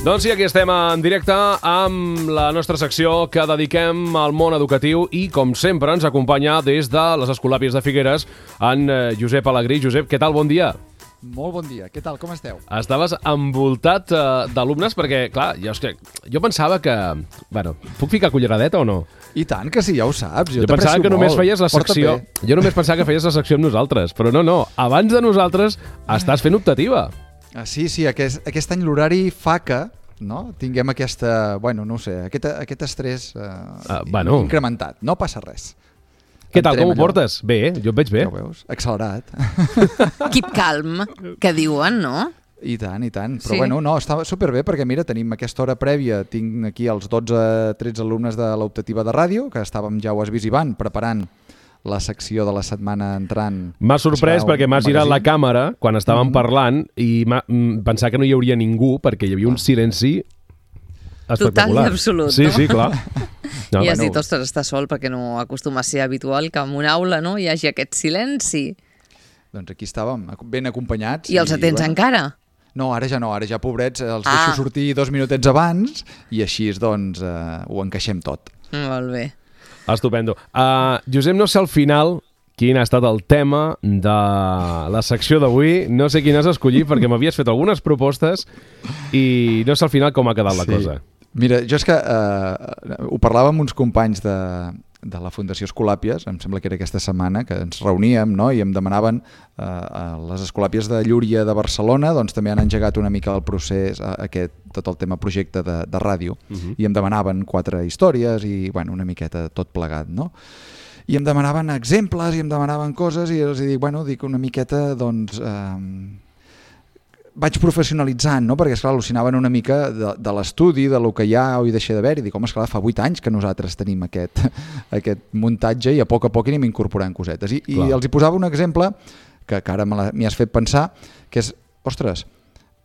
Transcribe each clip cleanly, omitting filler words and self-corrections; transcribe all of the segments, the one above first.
Doncs sí, aquí estem en directe amb la nostra secció que dediquem al món educatiu i, com sempre, ens acompanya des de les Escolàpies de Figueres en Josep Alegrí. Josep, què tal? Bon dia. Molt bon dia. Què tal? Com esteu? Estaves envoltat d'alumnes perquè, clar, jo pensava que... Bueno, puc ficar culleradeta o no? I tant que sí, ja ho saps. Jo pensava que només feies la secció... Jo només pensava que feies la secció amb nosaltres, però no. Abans de nosaltres estàs fent optativa. Sí, aquest any l'horari fa que tinguem aquesta... Bueno, no ho sé, aquest estrès incrementat. No passa res. Què tal, com ho portes? Bé, jo et veig bé. Ja ho veus? Accelerat. Keep calm, que diuen, no? I tant. Però bueno, no, està superbé perquè mira, tenim aquesta hora prèvia, tinc aquí els 12-13 alumnes de l'optativa de ràdio, que estàvem, ja ho has vist, Ivan, preparant la secció de la setmana entrant. M'ha sorprès perquè m'has girat la càmera quan estàvem parlant i pensar que no hi hauria ningú perquè hi havia un silenci espectacular. Total i absolut, sí, no? Sí, clar. No, I has dit, ostres, està sol perquè no acostuma a ser habitual que en una aula hi hagi aquest silenci. Doncs aquí estàvem, ben acompanyats. I els atents encara? No, ara ja pobrets, els deixo sortir 2 minutets abans i així doncs ho encaixem tot. Molt bé. Estupendo. Josep, no sé al final quin ha estat el tema de la secció d'avui. No sé quin has escollit perquè m'havies fet algunes propostes i no sé al final com ha quedat la cosa. Mira, jo és que ho parlava amb uns companys de la Fundació Escolàpies, em sembla que era aquesta setmana, que ens reuníem i em demanaven a les Escolàpies de Llúria de Barcelona, doncs també han engegat una mica el procés, tot el tema projecte de ràdio, i em demanaven 4 històries i bueno, una miqueta tot plegat, no? I em demanaven exemples i em demanaven coses i els dic, dic una miqueta, doncs... vaig professionalitzant, no? Perquè esclar, al·lucinaven una mica de l'estudi, de lo que hi ha o hi deixa d'haver, i dic, home, esclar, fa 8 anys que nosaltres tenim aquest muntatge i a poc anem incorporant cosetes. I els hi posava un exemple que ara m'hi has fet pensar, que és, ostres,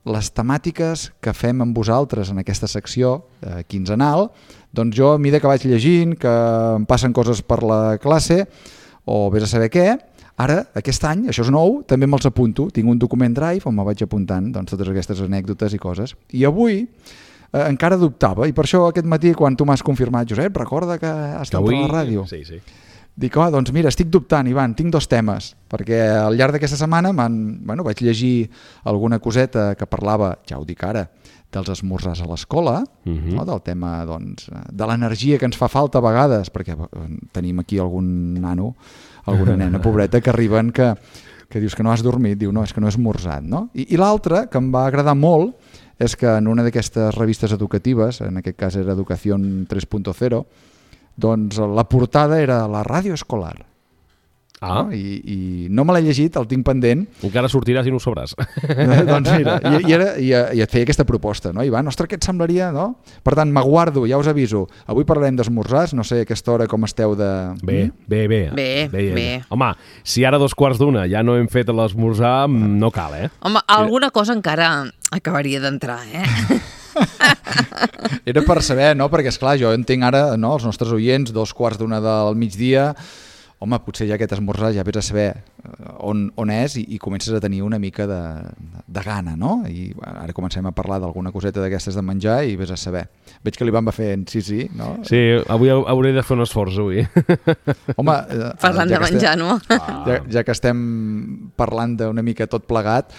les temàtiques que fem amb vosaltres en aquesta secció quinzenal, doncs jo, a mesura que vaig llegint, que em passen coses per la classe, o vés a saber què, ara, aquest any, això és nou, també me'ls apunto. Tinc un document Drive on me vaig apuntant totes aquestes anècdotes i coses. I avui encara dubtava, i per això aquest matí, quan tu m'has confirmat, Josep, recorda que has estat per la ràdio. Sí. Dic, doncs mira, estic dubtant, Ivan, tinc 2 temes, perquè al llarg d'aquesta setmana vaig llegir alguna coseta que parlava, ja ho dic ara, dels esmorzars a l'escola, del tema de l'energia que ens fa falta a vegades, perquè tenim aquí algun nano, alguna nena pobreta que arriben que dius que no has dormit, diu no, és que no he esmorzat, no? I l'altre, que em va agradar molt, és que en una d'aquestes revistes educatives, en aquest cas era Educación 3.0, doncs la portada era la ràdio escolar. No? I no me l'he llegit, el tinc pendent. Encara sortiràs i no ho sabràs. Doncs mira, i et feia aquesta proposta, no? Ivan, ostres, què et semblaria, no? Per tant, m'aguardo, ja us aviso. Avui parlarem d'esmorzars, no sé a aquesta hora com esteu de... Bé. Home, si ara 2:15 ja no hem fet l'esmorzar, no cal, Home, alguna cosa encara acabaria d'entrar, Era per saber, no? Perquè, esclar, jo entenc ara, no, els nostres oients, 2:15 del migdia... Home, potser ja aquest esmorzar ja vés a saber on és i comences a tenir una mica de gana, no? I ara comencem a parlar d'alguna coseta d'aquestes de menjar i vés a saber. Veig que l'Ivan va fent sí, no? Sí, avui hauré de fer un esforç, avui. Home, parlant de menjar, no? Ja que estem parlant d'una mica tot plegat,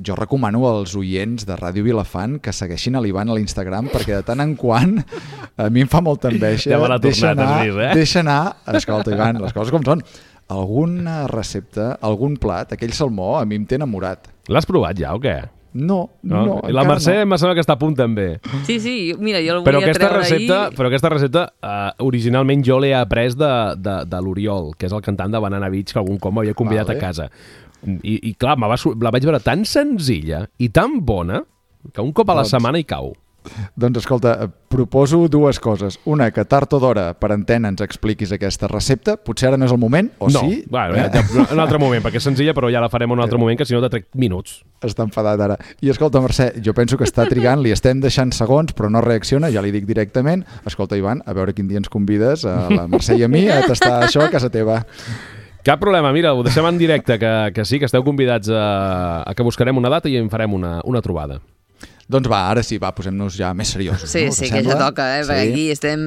jo recomano als oients de Ràdio Vilafant que segueixin a l'Ivan a l'Instagram, perquè de tant en quant a mi em fa molta enveja. Ja me l'ha tornat, has vist, Deixa anar, escolta, Ivan, les coses com són. Alguna recepta, algun plat, aquell salmó, a mi em té enamorat. L'has provat ja o què? No. I la Mercè em sembla que està a punt també. Sí, mira, jo el volia treure ahir. Però aquesta recepta, originalment jo l'he après de l'Oriol, que és el cantant de Banana Beach, que algun cop m'havia convidat a casa. I clar, la vaig veure tan senzilla i tan bona que un cop a la setmana hi cau. Doncs escolta, proposo 2 coses. Una, que tard o d'hora per antena ens expliquis aquesta recepta. Potser ara no és el moment, o no, sí? Bueno, un altre moment, perquè és senzilla, però ja la farem un altre moment, que si no te trec minuts. Està enfadat ara. I escolta, Mercè, jo penso que està trigant, li estem deixant segons, però no reacciona, ja li dic directament. Escolta, Ivan, a veure quin dia ens convides, a la Mercè i a mi, a tastar això a casa teva. Cap problema, mira, ho deixem en directe, que sí, que esteu convidats a que buscarem una data i en farem una trobada. Doncs va, ara sí, posem-nos ja més seriosos. Sí, no? sí, que ja toca, perquè aquí estem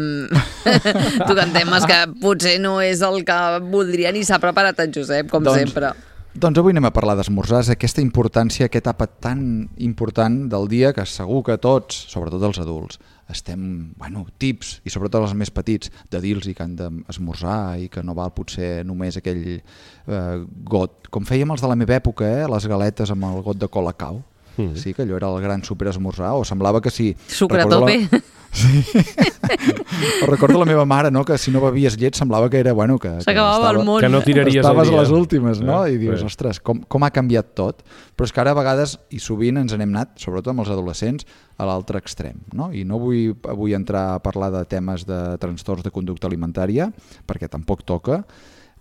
tocant temes que potser no és el que voldria ni s'ha preparat en Josep, com sempre. Doncs avui anem a parlar d'esmorzars, aquesta importància, aquesta etapa tan important del dia que segur que tots, sobretot els adults, estem, tips, i sobretot els més petits, de dir-los que han d'esmorzar i que no val potser només aquell got. Com fèiem els de la meva època, les galetes amb el got de Colacao. Sí, que allò era el gran superesmorzar, o semblava que sí. Sucre a tope. Sí. Recordo la meva mare, no? Que si no bevies llet semblava que era, que s'acabava el món. Que no tiraries estaves el dia. a les últimes, no? I dius, ostres, com ha canviat tot. Però és que ara a vegades, i sovint ens n'hem anat, sobretot amb els adolescents, a l'altre extrem, no? I no vull avui entrar a parlar de temes de trastorns de conducta alimentària, perquè tampoc toca,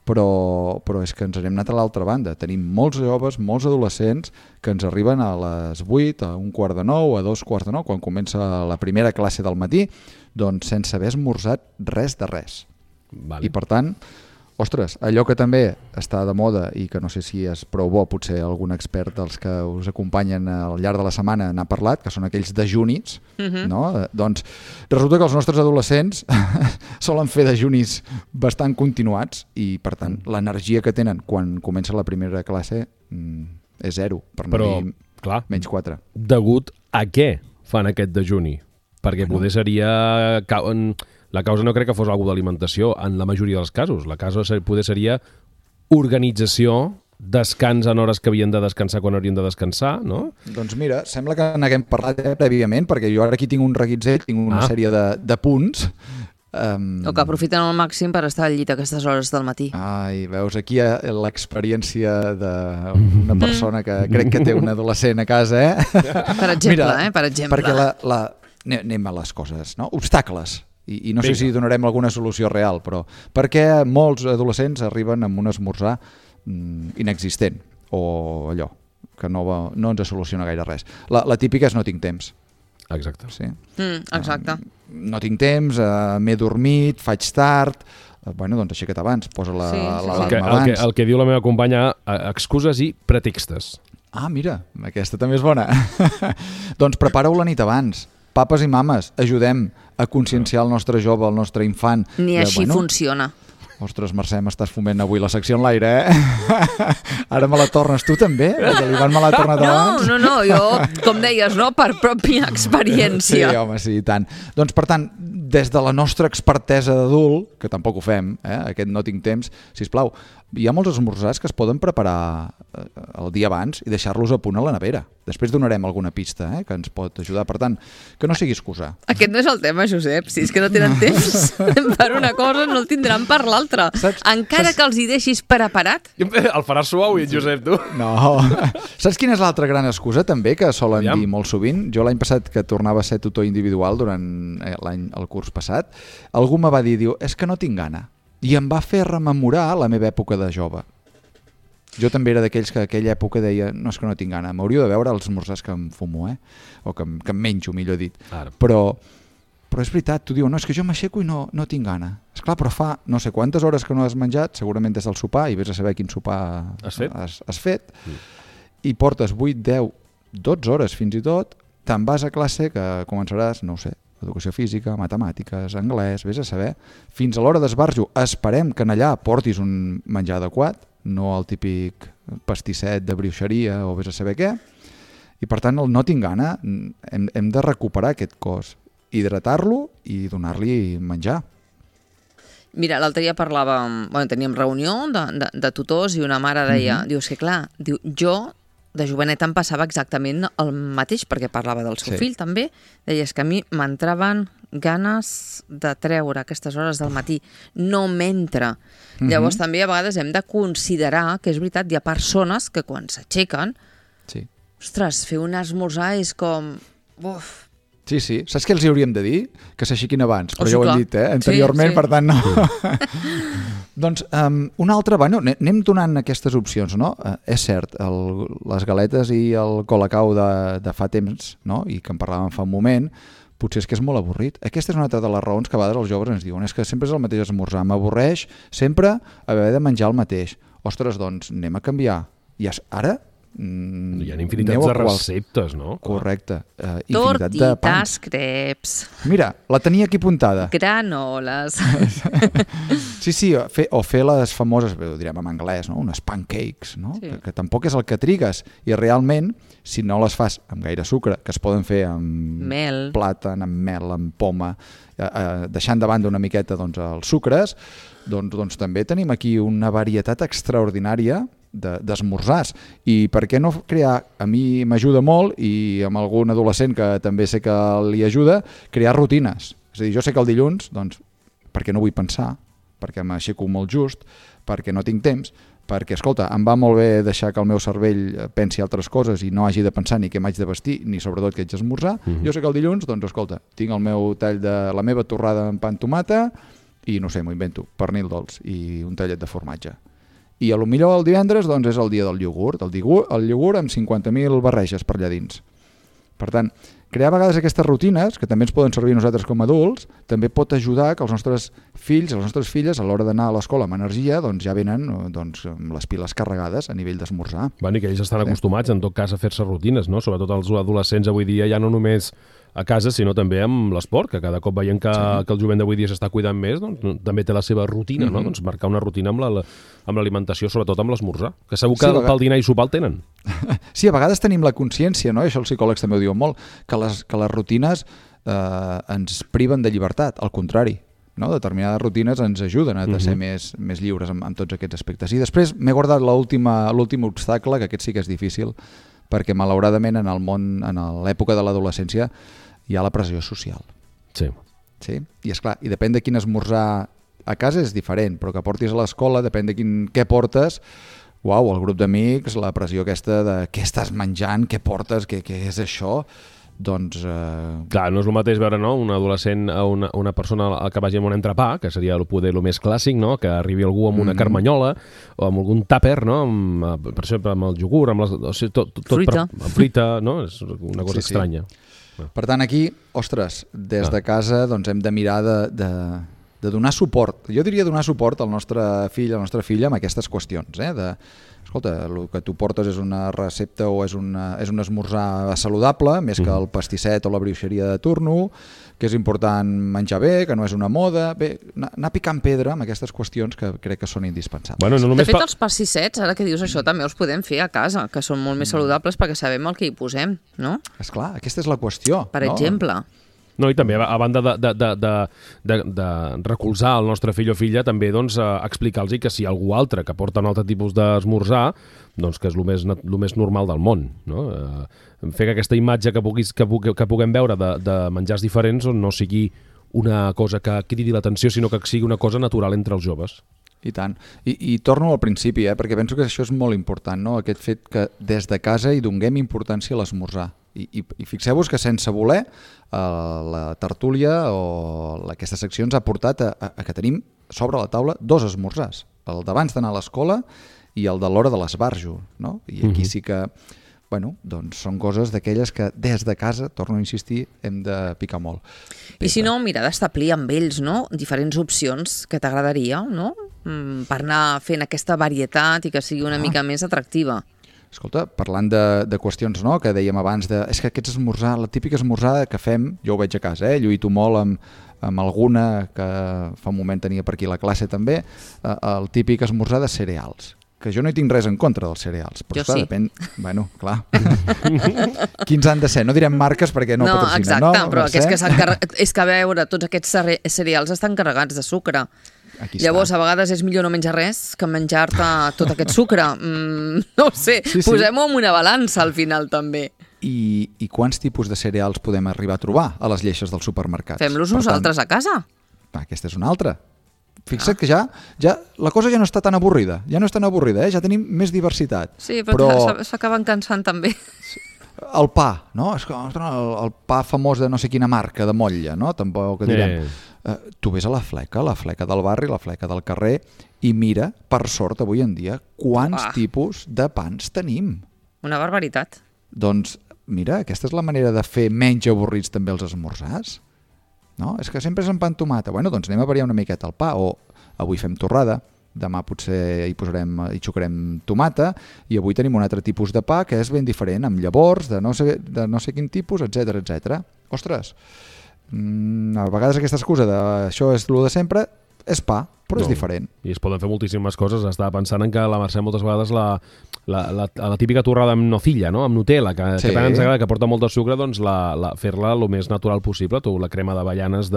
però és que ens n'hem anat a l'altra banda. Tenim molts joves, molts adolescents que ens arriben a les 8, a 8:45, a 2:45, quan comença la primera classe del matí, doncs sense haver esmorzat res de res. Vale. I per tant, ostres, allò que també està de moda i que no sé si és prou bo, potser algun expert dels que us acompanyen al llarg de la setmana n'ha parlat, que són aquells dejunis, no? Doncs resulta que els nostres adolescents solen fer dejunis bastant continuats i, per tant, l'energia que tenen quan comença la primera classe és zero, per no dir menys 4. Degut a què fan aquest dejuni? Perquè poder seria... La causa no crec que fos alguna d'alimentació en la majoria dels casos. La causa poder seria organització, descans en hores que havien de descansar quan haurien de descansar, no? Doncs mira, sembla que n'haguem parlat prèviament, perquè jo ara aquí tinc un reguitzell, tinc una sèrie de punts. O que aprofiten al màxim per estar al llit a aquestes hores del matí. Ai, veus, aquí l'experiència d'una persona que crec que té un adolescent a casa, Per exemple, Mira, per exemple. Perquè anem a les coses, no? Obstacles. I no sé si donarem alguna solució real, però per què molts adolescents arriben amb un esmorzar inexistent o allò que no ens soluciona gaire res? La típica és no tinc temps. Exacte. Sí? Exacte. No tinc temps, m'he dormit, faig tard... doncs aixeca't abans, posa l'alarma abans. El que diu la meva companya, excuses i pretextes. Ah, mira, aquesta també és bona. Doncs prepara-ho la nit abans. Papes i mames, ajudem a conscienciar el nostre jove, el nostre infant. Ni així funciona. Ostres, Mercè, m'estàs foment avui la secció en l'aire, Ara me la tornes tu també? L'Ivan me l'ha tornat abans? No, jo, com deies, no? Per pròpia experiència. Sí, home, sí, i tant. Doncs, per tant, des de la nostra expertesa d'adult, que tampoc ho fem, aquest no tinc temps, sisplau, hi ha molts esmorzars que es poden preparar el dia abans i deixar-los a punt a la nevera. Després donarem alguna pista que ens pot ajudar. Per tant, que no sigui excusa. Aquest no és el tema, Josep. Si és que no tenen temps per una cosa, no el tindran per l'altra. Encara que els hi deixis preparat. El faràs suau, i Josep, tu. No. Saps quina és l'altra gran excusa, també, que solen dir molt sovint? Jo l'any passat, que tornava a ser tutor individual durant el curs passat, algú me va dir, és que no tinc gana. I em va fer rememorar la meva època de jove. Jo també era d'aquells que aquella època deia no, és que no tinc gana, m'hauríeu de veure els esmorzars que em fumo, o que em menjo, millor dit. Però és veritat, tu dius, no, és que jo m'aixeco i no tinc gana. Esclar, però fa no sé quantes hores que no has menjat, segurament des del sopar, i vés a saber quin sopar has fet, i portes 8, 10, 12 hores fins i tot, te'n vas a classe que començaràs, no ho sé, educació física, matemàtiques, anglès, vés a saber, fins a l'hora d'esbarjo. Esperem que en allà portis un menjar adequat, no el típic pastisset de brioixeria o vés a saber què, i per tant el no tinc gana, hem de recuperar aquest cos, hidratar-lo i donar-li menjar. Mira, l'altre dia teníem reunió de tutors i una mare deia, diu, és que clar, jo de jovenet em passava exactament el mateix, perquè parlava del seu fill també, deia, és que a mi m'entraven ganes de treure aquestes hores del matí, no m'entra. Llavors també a vegades hem de considerar que és veritat, hi ha persones que quan s'aixequen, ostres, fer un esmorzar és com... Uf. Sí, saps què els hauríem de dir? Que s'aixequin abans, però ja ho hem dit, anteriorment, per tant no. Doncs una altra, anem donant aquestes opcions, no? És cert, les galetes i el Colacao de fa temps, no? I que en parlàvem fa un moment, potser és que és molt avorrit. Aquesta és una altra de les raons que a vegades els joves ens diuen, és que sempre és el mateix esmorzar, m'avorreix sempre haver de menjar el mateix. Ostres, doncs anem a canviar. I ara Hi ha infinitats de receptes, no? Correcte. Tortitas, creps... Mira, la tenia aquí apuntada. Granoles... Sí, o fer les famoses, ho direm en anglès, no? Unes pancakes, no? Sí. Que tampoc és el que trigues. I realment, si no les fas amb gaire sucre, que es poden fer amb Mel. plàtan, amb mel, amb poma, deixant de banda una miqueta doncs, els sucres, doncs també tenim aquí una varietat extraordinària d'esmorzars. I per què no crear, a mi m'ajuda molt, i amb algun adolescent que també sé que li ajuda, crear rutines. És a dir, jo sé que el dilluns, doncs, perquè no vull pensar, perquè m'aixeco molt just, perquè no tinc temps, perquè, escolta, em va molt bé deixar que el meu cervell pensi altres coses i no hagi de pensar ni què m'haig de vestir, ni sobretot què haig d'esmorzar. Jo sé que el dilluns, doncs, escolta, tinc el meu tall de la meva torrada amb pa amb tomata i, no sé, m'ho invento, pernil dolç i un tallet de formatge. I a lo millor el divendres doncs, és el dia del iogurt, el iogurt amb 50.000 barreges per allà dins. Per tant, crear a vegades aquestes rutines, que també ens poden servir a nosaltres com a adults, també pot ajudar que els nostres fills i les nostres filles, a l'hora d'anar a l'escola amb energia, doncs ja venen doncs, amb les piles carregades a nivell d'esmorzar. Bueno, i que ells estan acostumats, en tot cas, a fer-se rutines, no? Sobretot els adolescents avui dia ja no només a casa, sinó també amb l'esport, que cada cop veiem que el jovent d'avui dia s'està cuidant més, doncs també té la seva rutina, no? Doncs marcar una rutina amb l'alimentació, sobretot amb l'esmorzar, que segur que pel dinar i sopar el tenen. Sí, a vegades tenim la consciència, no? I això els psicòlegs també ho diuen molt, que les rutines ens priven de llibertat, al contrari. No? Determinades rutines ens ajuden a ser més lliures amb tots aquests aspectes. I després m'he guardat l'últim obstacle, que aquest sí que és difícil, perquè malauradament en el món, en l'època de l'adolescència, hi ha la pressió social. Sí. I esclar, i depèn de quin esmorzar a casa és diferent, però que portis a l'escola, depèn de què portes, el grup d'amics, la pressió aquesta de què estàs menjant, què portes, què és això, doncs... Clar, no és el mateix veure, no?, un adolescent a una persona que vagi amb un entrepà, que seria poder el més clàssic, no?, que arribi algú amb una carmanyola o amb algun tàper, no?, per exemple, amb el iogurt, amb fruita, no?, és una cosa estranya. Per tant, aquí, ostres, des de casa doncs hem de mirar de donar suport. Jo diria donar suport al nostre fill, a la nostra filla, amb aquestes qüestions, escolta, el que tu portes és una recepta o és un esmorzar saludable, més que el pastisset o la brioixeria de turno, que és important menjar bé, que no és una moda... Bé, anar picant pedra amb aquestes qüestions que crec que són indispensables. Bueno, de fet, els pastissets, ara que dius això, també els podem fer a casa, que són molt més saludables perquè sabem el que hi posem, no? Esclar, aquesta és la qüestió. Per exemple... No, i també, a banda de recolzar el nostre fill o filla, també doncs, explicar-los que si hi ha algú altre que porta un altre tipus d'esmorzar, doncs que és el més normal del món. No? Fer que aquesta imatge que puguem veure de menjars diferents no sigui una cosa que cridi l'atenció, sinó que sigui una cosa natural entre els joves. I tant. I torno al principi, perquè penso que això és molt important, no? Aquest fet que des de casa hi donem importància a l'esmorzar. I fixeu-vos que sense voler la tertúlia o aquesta secció ens ha portat a que tenim sobre la taula 2 esmorzars, el d'abans d'anar a l'escola i el de l'hora de l'esbarjo, no? I aquí sí que, bueno, doncs són coses d'aquelles que des de casa, torno a insistir, hem de picar molt. I si no, mira, d'establir amb ells, no?, diferents opcions que t'agradaria, no?, per anar fent aquesta varietat i que sigui una mica més atractiva. Escolta, parlant de qüestions, no?, que dèiem abans, és que aquest esmorzar, la típica esmorzada que fem, jo ho veig a casa, lluito molt amb alguna que fa un moment tenia per aquí la classe també, el típic esmorzar de cereals, que jo no hi tinc res en contra dels cereals. Però, jo sí. Depèn... Bueno, clar. Quins han de ser? No direm marques perquè no patrocinen. No, exacte, però és que a veure, tots aquests cereals estan carregats de sucre. Llavors, a vegades és millor no menjar res que menjar-te tot aquest sucre. No ho sé, posem-ho en una balança al final també. I quants tipus de cereals podem arribar a trobar a les lleixes dels supermercats? Fem-los nosaltres a casa. Aquesta és una altra. Fixa't que ja la cosa ja no està tan avorrida. Ja no és tan avorrida, ja tenim més diversitat. Sí, però s'acaben cansant també. El pa, no? El pa famós de no sé quina marca, de motlla, no? Tampoc direm... Tu ves a la fleca del barri, la fleca del carrer, i mira, per sort, avui en dia, quants tipus de pans tenim. Una barbaritat. Doncs, mira, aquesta és la manera de fer menys avorrits també els esmorzars. No? És que sempre és amb pa amb tomata. Bueno, doncs anem a variar una miqueta el pa, o avui fem torrada, demà potser hi xocarem tomata, i avui tenim un altre tipus de pa que és ben diferent, amb llavors, de no sé quin tipus, etc. Ostres, a vegades aquesta excusa de això és el de sempre és pa, però és diferent. I es poden fer moltíssimes coses. Estava pensant en que la Mercè moltes vegades la típica torrada amb nocilla, no? Amb Nutella, que tant ens agrada, que porta molt de sucre, doncs fer-la el més natural possible. Tu, la crema d'avellanes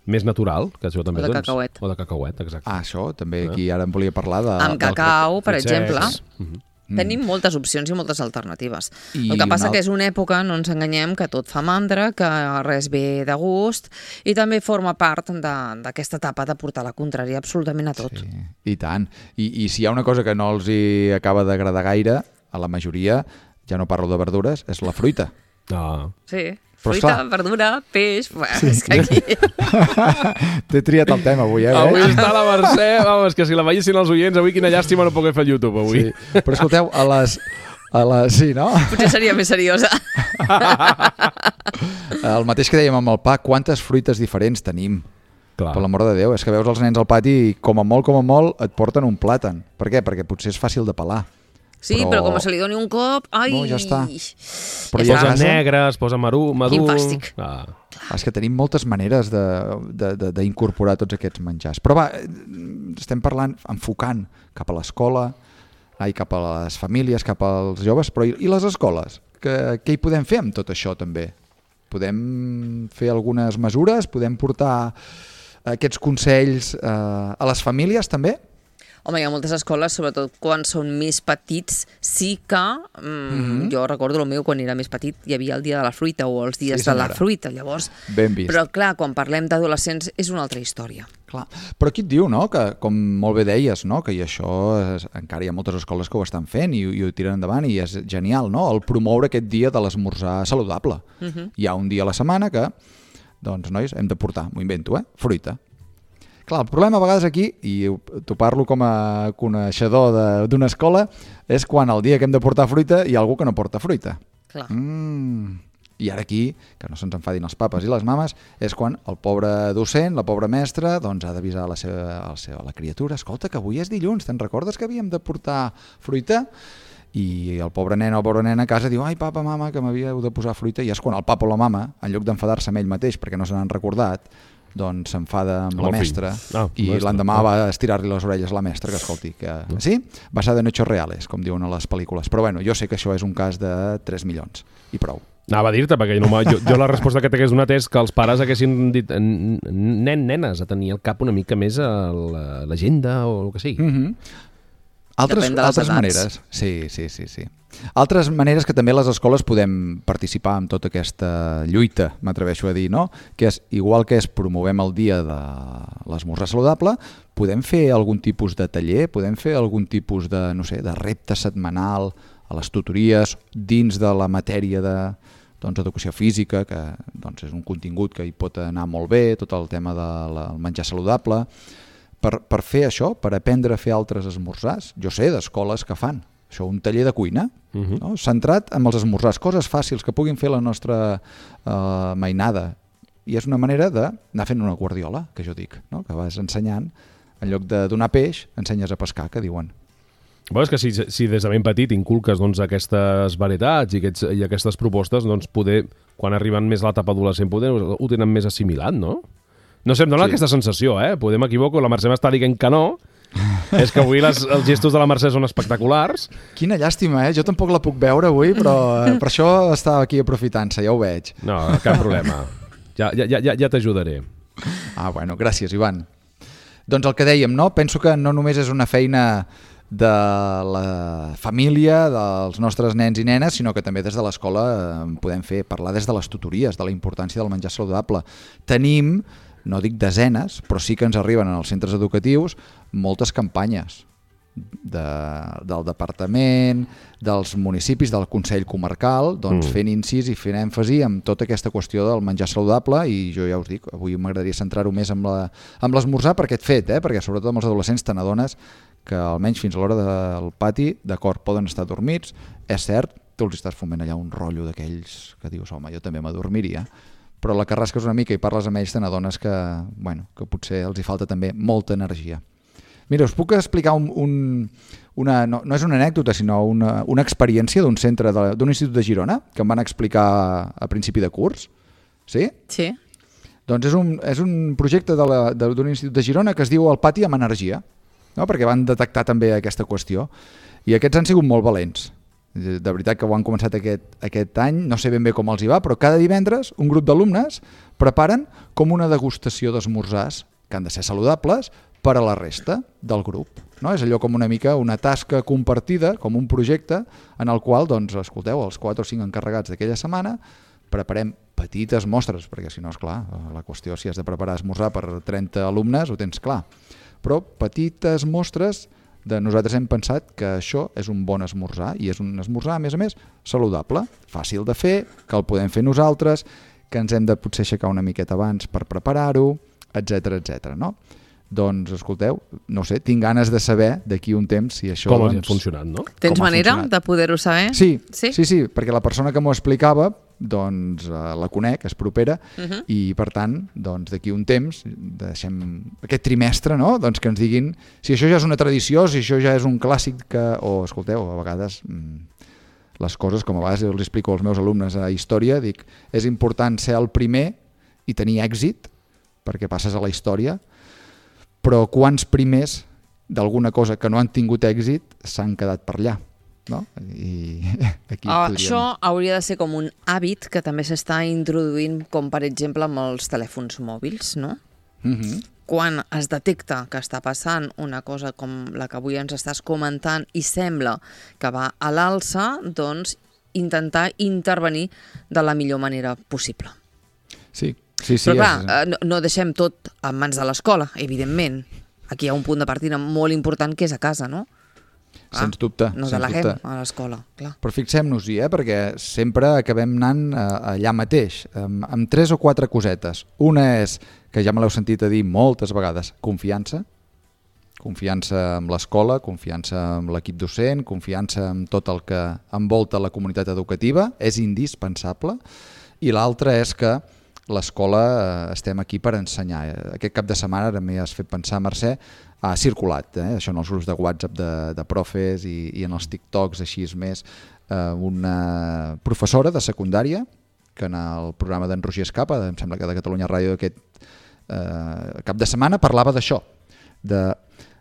més natural, que això també... O de cacauet. O de cacauet, exacte. Això, també aquí ara em volia parlar de... Amb cacau, per exemple. Mm-hmm. Tenim moltes opcions i moltes alternatives. El que passa que és una època, no ens enganyem, que tot fa mandra, que res ve de gust, i també forma part d'aquesta etapa de portar la contrària absolutament a tot. Sí, i tant. I si hi ha una cosa que no els hi acaba d'agradar gaire, a la majoria, ja no parlo de verdures, és la fruita. Sí. Fruita, verdura, peix... Sí. És que aquí... T'he triat el tema avui, Avui està la Mercè, vamos, que si la veiessin els oients, avui quina llàstima no poder fer el YouTube avui. Sí. Però escolteu, a les... Sí, no? Potser seria més seriosa. El mateix que dèiem amb el pa, quantes fruites diferents tenim? Clar. Per l'amor de Déu, és que veus els nens al pati i com a molt et porten un plàtan. Per què? Perquè potser és fàcil de pelar. Sí, però com se li doni un cop... Ai! No, ja està. Però ja posa negre, es posa madur... Quin fàstic. És que tenim moltes maneres d'incorporar tots aquests menjars. Però va, estem parlant, enfocant cap a l'escola, cap a les famílies, cap als joves, però i les escoles? Què hi podem fer amb tot això també? Podem fer algunes mesures? Podem portar aquests consells a les famílies també? Home, hi ha moltes escoles, sobretot quan són més petits, sí que... Jo recordo el meu, quan era més petit, hi havia el dia de la fruita o els dies de la fruita, llavors... Ben vist. Però clar, quan parlem d'adolescents és una altra història. Clar. Però aquí et diu, no?, que com molt bé deies, no?, que i això encara hi ha moltes escoles que ho estan fent i ho tiren endavant i és genial, no?, el promoure aquest dia de l'esmorzar saludable. Hi ha un dia a la setmana que, doncs, nois, hem de portar, m'ho invento, fruita. Clar, el problema a vegades aquí, i t'ho parlo com a coneixedor d'una escola, és quan el dia que hem de portar fruita hi ha algú que no porta fruita. Clar. I ara aquí, que no se'ns enfadin els papes i les mames, és quan el pobre docent, la pobra mestra, doncs ha d'avisar la criatura, escolta, que avui és dilluns, te'n recordes que havíem de portar fruita? I el pobre nen o pobra nena a casa diu, ai papa, mama, que m'havíeu de posar fruita, i és quan el papa o la mama, en lloc d'enfadar-se amb ell mateix perquè no se n'han recordat, doncs s'enfada amb la mestra i l'endemà va estirar-li les orelles a la mestra, que escolti, que sí, basada en hechos reales, com diuen a les pel·lícules. Però bueno, jo sé que això és un cas de 3 milions i prou. Anava a dir-te, perquè jo la resposta que t'hagués donat és que els pares haguessin dit nenes, a tenir al cap una mica més l'agenda o el que sigui. Altres maneres. Sí. Altres maneres que també les escoles podem participar en tota aquesta lluita, m'atreveixo a dir, no? Que és, igual que promovem el dia de l'esmorzar saludable, podem fer algun tipus de taller, podem fer algun tipus de, no sé, de repte setmanal a les tutories dins de la matèria d'educació física, que doncs, és un contingut que hi pot anar molt bé, tot el tema del menjar saludable. Per fer això, per aprendre a fer altres esmorzars, jo sé d'escoles que fan això, un taller de cuina, no? Centrat en els esmorzars, coses fàcils que puguin fer la nostra mainada. I és una manera d'anar fent una guardiola, que jo dic, no? Que vas ensenyant, en lloc de donar peix, ensenyes a pescar, que diuen. Bé, és que si des de ben petit inculques doncs, aquestes varietats i aquestes propostes, doncs poder, quan arriben més a l'etapa adolescent, poder ho tenen més assimilat, no? No sé, em dona aquesta sensació, Podem m'equivoco, la Mercè m'està dient que no. És que avui els gestos de la Mercè són espectaculars. Quina llàstima, Jo tampoc la puc veure avui, però per això estava aquí aprofitant-se, ja ho veig. No, cap problema. Ja t'ajudaré. Bueno, gràcies, Ivan. Doncs el que dèiem, no? Penso que no només és una feina de la família, dels nostres nens i nenes, sinó que també des de l'escola podem parlar des de les tutories, de la importància del menjar saludable. Tenim, no dic desenes, però sí que ens arriben en els centres educatius moltes campanyes del departament, dels municipis, del Consell Comarcal, doncs fent incís i fent èmfasi en tota aquesta qüestió del menjar saludable, i jo ja us dic, avui m'agradaria centrar-ho més amb l'esmorzar per aquest fet, perquè sobretot amb els adolescents te n'adones que almenys fins a l'hora del pati, d'acord, poden estar dormits, és cert, tu els estàs foment allà un rotllo d'aquells que dius, home, jo també m'adormiria, però la que rasques una mica i parles amb ells te n'adones que potser els hi falta també molta energia. Mira, us puc explicar no és una anècdota, sinó una experiència d'un centre d'un institut de Girona que em van explicar a principi de curs. Sí? Sí. Doncs és un projecte d'un institut de Girona que es diu El pati amb energia, no? Perquè van detectar també aquesta qüestió. I aquests han sigut molt valents. De veritat que ho han començat aquest any, no sé ben bé com els hi va, però cada divendres un grup d'alumnes preparen com una degustació d'esmorzars que han de ser saludables per a la resta del grup. No? És allò com una mica una tasca compartida, com un projecte en el qual, doncs, escolteu, els 4 o 5 encarregats d'aquella setmana preparem petites mostres, perquè si no, esclar, la qüestió si has de preparar esmorzar per 30 alumnes ho tens clar, però petites mostres de nosaltres hem pensat que això és un bon esmorzar i és un esmorzar, a més, saludable, fàcil de fer, que el podem fer nosaltres, que ens hem de potser aixecar una miqueta abans per preparar-ho, etc, no? Doncs, escolteu, no sé, tinc ganes de saber d'aquí un temps si això... Com ha funcionat, no? Tens manera de poder-ho saber? Sí, perquè la persona que m'ho explicava doncs la conec, és propera, i per tant, doncs d'aquí un temps, deixem aquest trimestre, no? Doncs que ens diguin si això ja és una tradició, si això ja és un clàssic que... O, escolteu, a vegades les coses, com a vegades els explico als meus alumnes a història, dic, és important ser el primer i tenir èxit, perquè passes a la història, però quants primers d'alguna cosa que no han tingut èxit s'han quedat per allà, no? I aquí Això hauria de ser com un hàbit que també s'està introduint, com per exemple amb els telèfons mòbils, no? Quan es detecta que està passant una cosa com la que avui ens estàs comentant i sembla que va a l'alça, doncs intentar intervenir de la millor manera possible. Sí. Però clar, no deixem tot en mans de l'escola, evidentment. Aquí hi ha un punt de partida molt important que és a casa, no? Sens dubte. No deleguem a l'escola, clar. Però fixem-nos-hi, perquè sempre acabem anant allà mateix, amb 3 o 4 cosetes. Una és, que ja me l'heu sentit a dir moltes vegades, confiança. Confiança en l'escola, confiança en l'equip docent, confiança en tot el que envolta la comunitat educativa, és indispensable. I l'altra és que l'escola estem aquí per ensenyar. Aquest cap de setmana, ara m'hi has fet pensar, Mercè, ha circulat, això en els grups de WhatsApp de profes i en els TikToks així és més, una professora de secundària que en el programa d'en Roger Escapa, em sembla que de Catalunya Ràdio aquest cap de setmana, parlava d'això,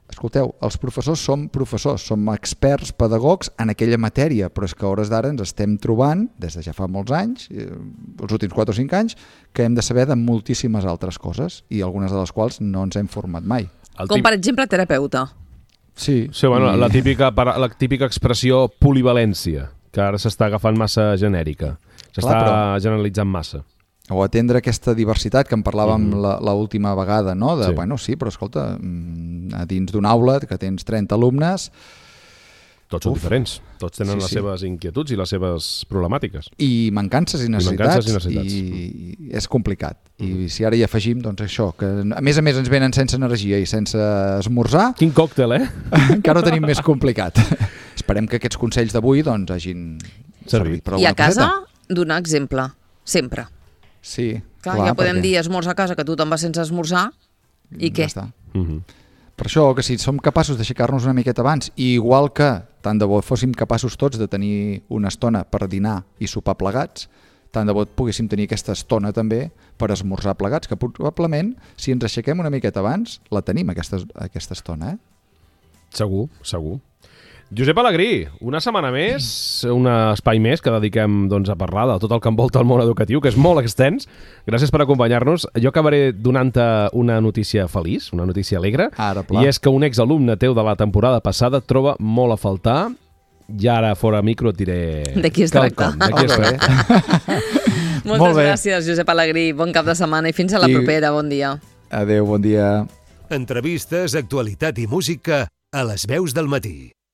escolteu, els professors som experts pedagogs en aquella matèria, però és que a hores d'ara ens estem trobant, des de ja fa molts anys, els últims 4 o 5 anys, que hem de saber de moltíssimes altres coses, i algunes de les quals no ens hem format mai. Com per exemple terapeuta. Sí, bueno, la típica expressió polivalència, que ara s'està agafant massa genèrica, s'està generalitzant massa. O atendre aquesta diversitat que en parlàvem l'última vegada, no? Bueno, sí, però escolta, a dins d'una aula que tens 30 alumnes... Tots són diferents, tots tenen les seves inquietuds i les seves problemàtiques. I mancances i necessitats, i és complicat. I si ara hi afegim, doncs això, que a més ens venen sense energia i sense esmorzar... Quin còctel, encara ho tenim més complicat. Esperem que aquests consells d'avui doncs hagin servit per alguna coseta. I a casa, donar exemple, sempre. Sí, clar, ja podem dir esmorzar a casa, que tothom va sense esmorzar, i què? Ja està. Per això, que si som capaços d'aixecar-nos una miqueta abans, i igual que tant de bo fóssim capaços tots de tenir una estona per dinar i sopar plegats, tant de bo poguéssim tenir aquesta estona també per esmorzar plegats, que probablement, si ens aixequem una miqueta abans, la tenim, aquesta estona, Segur. Josep Alegrí, una setmana més, un espai més que dediquem a parlar de tot el que envolta el món educatiu, que és molt extens. Gràcies per acompanyar-nos. Jo acabaré donant-te una notícia feliç, una notícia alegre, i és que un exalumne teu de la temporada passada et troba molt a faltar. I ara, fora micro, et diré... De qui es tracta. Moltes gràcies, Josep Alegrí. Bon cap de setmana i fins a la propera. Bon dia. Adéu, bon dia. Entrevistes, actualitat i música a les veus del matí.